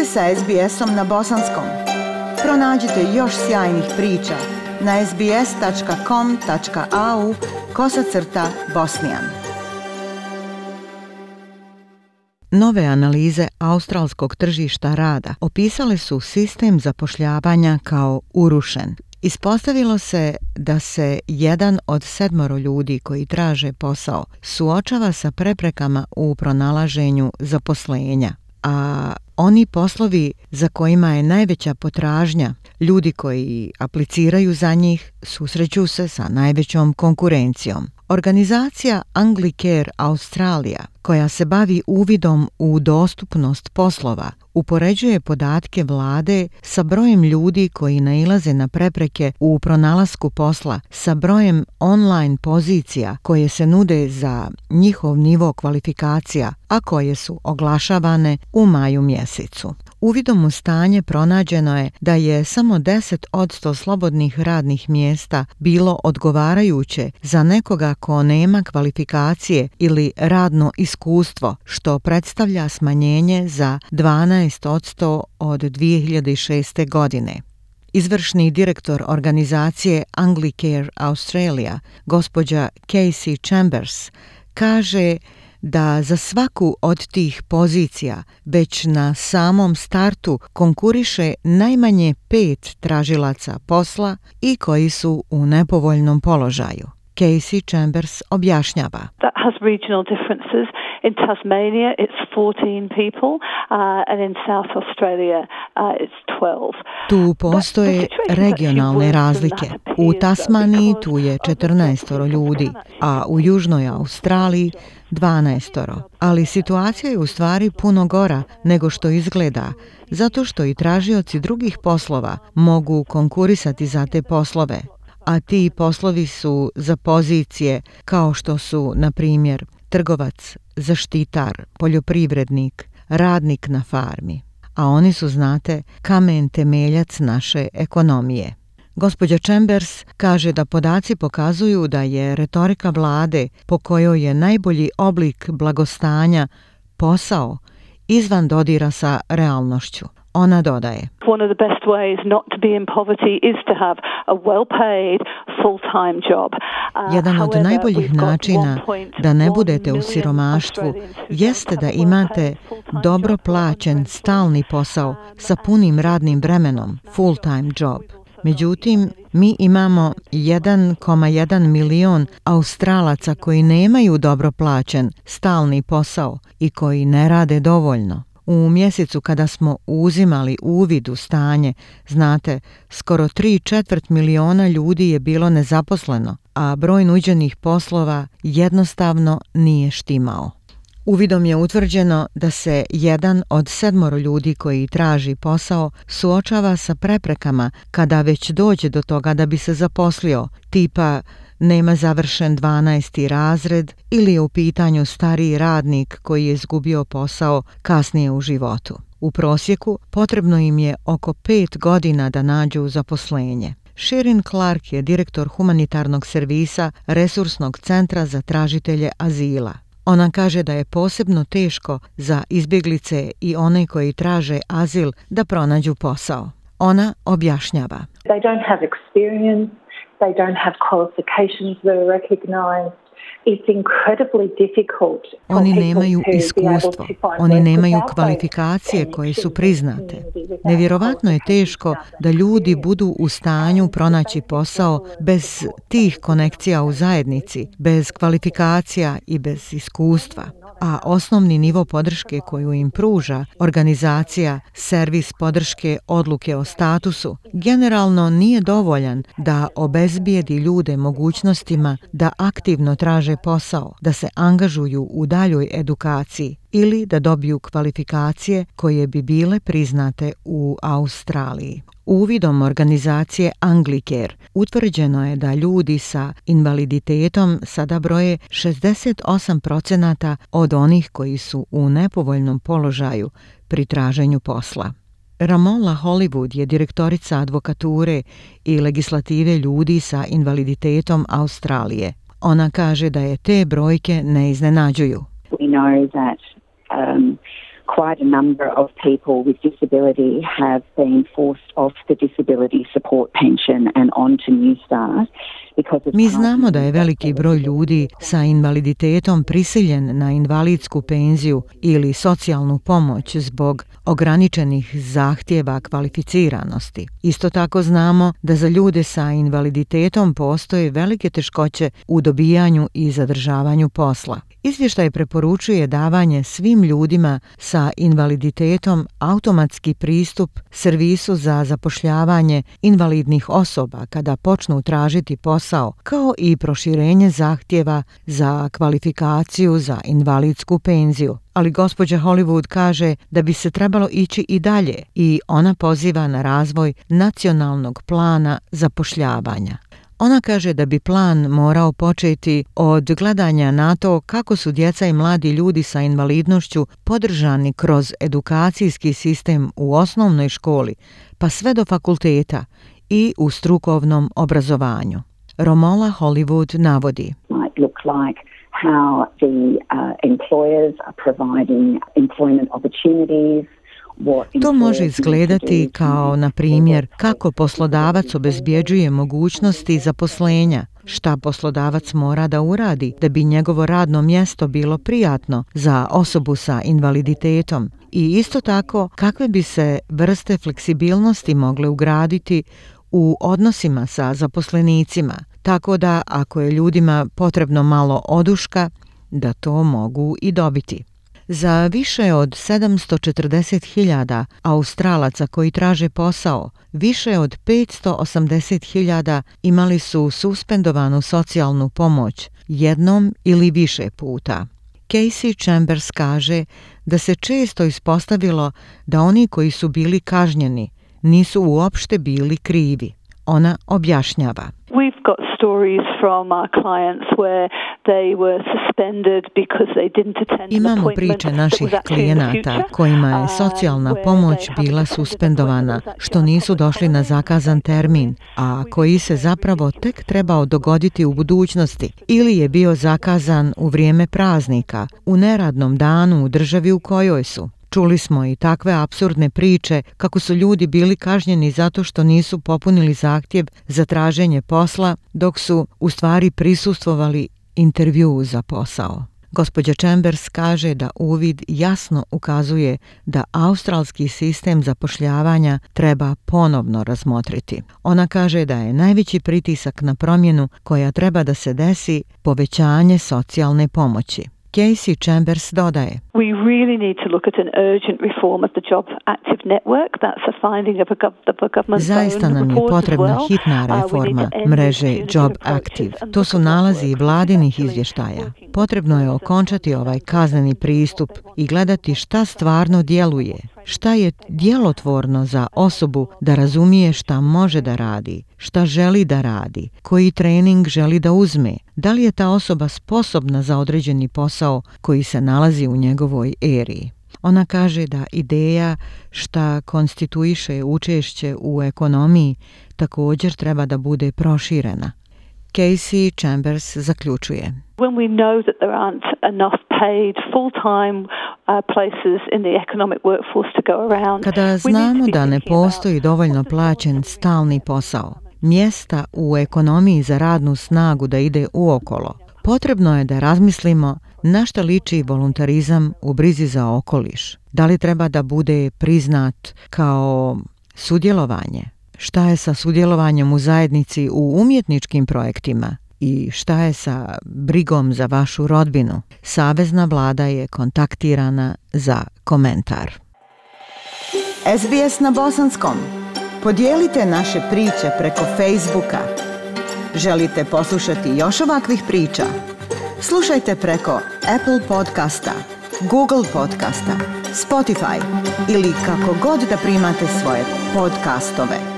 ste sa SBS-om na bosanskom. Pronađite još sjajnih priča na sbs.com.au/bosnijan. Nove analize australskog tržišta rada opisale su sistem zapošljavanja kao urušen. Ispostavilo se da se 1 od 7 ljudi koji traže posao suočava sa preprekama u pronalaženju zaposlenja, a oni poslovi za kojima je najveća potražnja, ljudi koji apliciraju za njih, susreću se sa najvećom konkurencijom. Organizacija Anglicare Australia, koja se bavi uvidom u dostupnost poslova, upoređuje podatke vlade sa brojem ljudi koji nailaze na prepreke u pronalasku posla sa brojem online pozicija koje se nude za njihov nivo kvalifikacija, a koje su oglašavane u maju mjesecu. Uvidom u stanje pronađeno je da je samo 10% slobodnih radnih mjesta bilo odgovarajuće za nekoga ko nema kvalifikacije ili radno iskustvo, što predstavlja smanjenje za 12% od 2006. godine. Izvršni direktor organizacije Anglicare Australia, gospođa Casey Chambers, kaže da za svaku od tih pozicija već na samom startu konkuriše najmanje 5 tražilaca posla i koji su u nepovoljnom položaju. Casey Chambers objašnjava. That has regional differences. In Tasmania it's 14 people and in South Australia it's 12. Tu postoje regionalne razlike. U Tasmaniji tu je 14 ljudi, a u Južnoj Australiji 12. Ali situacija je u stvari puno gora nego što izgleda, zato što i tražioci drugih poslova mogu konkurisati za te poslove. A ti poslovi su za pozicije kao što su, na primjer, trgovac, zaštitar, poljoprivrednik, radnik na farmi. A oni su, znate, kamen temeljac naše ekonomije. Gospođa Chambers kaže da podaci pokazuju da je retorika vlade po kojoj je najbolji oblik blagostanja posao izvan dodira sa realnošću. Ona dodaje: One of the best ways not to be in poverty is to have a well-paid full-time job. Jedan od najboljih načina da ne budete u siromaštvu jeste da imate dobro plaćen stalni posao sa punim radnim vremenom, full-time job. Međutim, mi imamo 1,1 milion Australaca koji nemaju dobro plaćen stalni posao i koji ne rade dovoljno. U mjesecu kada smo uzimali uvid u stanje, znate, skoro 3/4 miliona ljudi je bilo nezaposleno, a broj nuđenih poslova jednostavno nije štimao. Uvidom je utvrđeno da se 1 od 7 ljudi koji traži posao suočava sa preprekama kada već dođe do toga da bi se zaposlio, tipa nema završen 12. razred ili je u pitanju stariji radnik koji je izgubio posao kasnije u životu. U prosjeku potrebno im je oko 5 godina da nađu zaposlenje. Sherin Clark je direktor humanitarnog servisa Resursnog centra za tražitelje azila. Ona kaže da je posebno teško za izbjeglice i one koji traže azil da pronađu posao. Ona objašnjava. They don't have experience, they don't have qualifications that are recognized. It's incredibly difficult. Oni nemaju iskustvo, oni nemaju kvalifikacije koje su priznate. Nevjerovatno je teško da ljudi budu u stanju pronaći posao bez tih konekcija u zajednici, bez kvalifikacija i bez iskustva. A osnovni nivo podrške koju im pruža organizacija Servis podrške odluke o statusu generalno nije dovoljan da obezbijedi ljude mogućnostima da aktivno traže posao, da se angažuju u daljoj edukaciji ili da dobiju kvalifikacije koje bi bile priznate u Australiji. Uvidom organizacije Anglicare utvrđeno je da ljudi sa invaliditetom sada broje 68% od onih koji su u nepovoljnom položaju pri traženju posla. Ramola Hollywood je direktorica advokature i legislative ljudi sa invaliditetom Australije. Ona kaže da je te brojke ne iznenađuju. We know that quite a number of people with disability have been forced off the disability support pension and onto New Start. Mi znamo da je veliki broj ljudi sa invaliditetom prisiljen na invalidsku penziju ili socijalnu pomoć zbog ograničenih zahtjeva kvalificiranosti. Isto tako znamo da za ljude sa invaliditetom postoje velike teškoće u dobijanju i zadržavanju posla. Izvještaj preporučuje davanje svim ljudima sa invaliditetom automatski pristup servisu za zapošljavanje invalidnih osoba kada počnu tražiti posao, kao i proširenje zahtjeva za kvalifikaciju za invalidsku penziju. Ali gospođa Hollywood kaže da bi se trebalo ići i dalje i ona poziva na razvoj nacionalnog plana zapošljavanja. Ona kaže da bi plan morao početi od gledanja na to kako su djeca i mladi ljudi sa invalidnošću podržani kroz edukacijski sistem u osnovnoj školi, pa sve do fakulteta i u strukovnom obrazovanju. Romola Hollywood navodi. How the employers are providing employment opportunities. To može izgledati kao, na primjer, kako poslodavac obezbjeđuje mogućnosti zaposlenja, šta poslodavac mora da uradi da bi njegovo radno mjesto bilo prijatno za osobu sa invaliditetom i isto tako kakve bi se vrste fleksibilnosti mogle ugraditi u odnosima sa zaposlenicima, tako da ako je ljudima potrebno malo oduška, da to mogu i dobiti. Za više od 740.000 Australaca koji traže posao, više od 580.000 imali su suspendovanu socijalnu pomoć jednom ili više puta. Casey Chambers kaže da se često ispostavilo da oni koji su bili kažnjeni nisu uopšte bili krivi. Ona objašnjava. We've got stories from our clients where they were suspended because they didn't attend an appointment. Imamo priče naših klijenata kojima je socijalna pomoć bila suspendovana, što nisu došli na zakazan termin, a koji se zapravo tek trebao dogoditi u budućnosti, ili je bio zakazan u vrijeme praznika, u neradnom danu u državi u kojoj su. Čuli smo i takve apsurdne priče kako su ljudi bili kažnjeni zato što nisu popunili zahtjev za traženje posla, dok su u stvari prisustvovali intervjuu za posao. Gospođa Chambers kaže da uvid jasno ukazuje da australski sistem zapošljavanja treba ponovno razmotriti. Ona kaže da je najveći pritisak na promjenu koja treba da se desi povećanje socijalne pomoći. Casey Chambers dodaje. We really need to look at an urgent reform of the Job Active Network. That's a finding of a government. Zaista nam je potrebna hitna reforma mreže Job Active. To su nalazi vladinih izvještaja. Potrebno je okončati ovaj kazneni pristup i gledati šta stvarno djeluje, šta je djelotvorno za osobu da razumije šta može da radi, šta želi da radi, koji trening želi da uzme, da li je ta osoba sposobna za određeni posao koji se nalazi u njegovoj eri. Ona kaže da ideja šta konstituiše učešće u ekonomiji također treba da bude proširena. Casey Chambers zaključuje. When we know that there aren't enough paid full-time places in the economic workforce to go around. Kada znamo da ne postoji dovoljno plaćen stalni posao, mjesta u ekonomiji za radnu snagu da ide uokolo, potrebno je da razmislimo na šta liči voluntarizam u brizi za okoliš. Da li treba da bude priznat kao sudjelovanje? Šta je sa sudjelovanjem u zajednici u umjetničkim projektima? I šta je sa brigom za vašu rodbinu? Savezna vlada je kontaktirana za komentar. SBS na bosanskom. Podijelite naše priče preko Facebooka. Želite poslušati još ovakvih priča? Slušajte preko Apple podcasta, Google podcasta, Spotify ili kako god da primate svoje podcastove.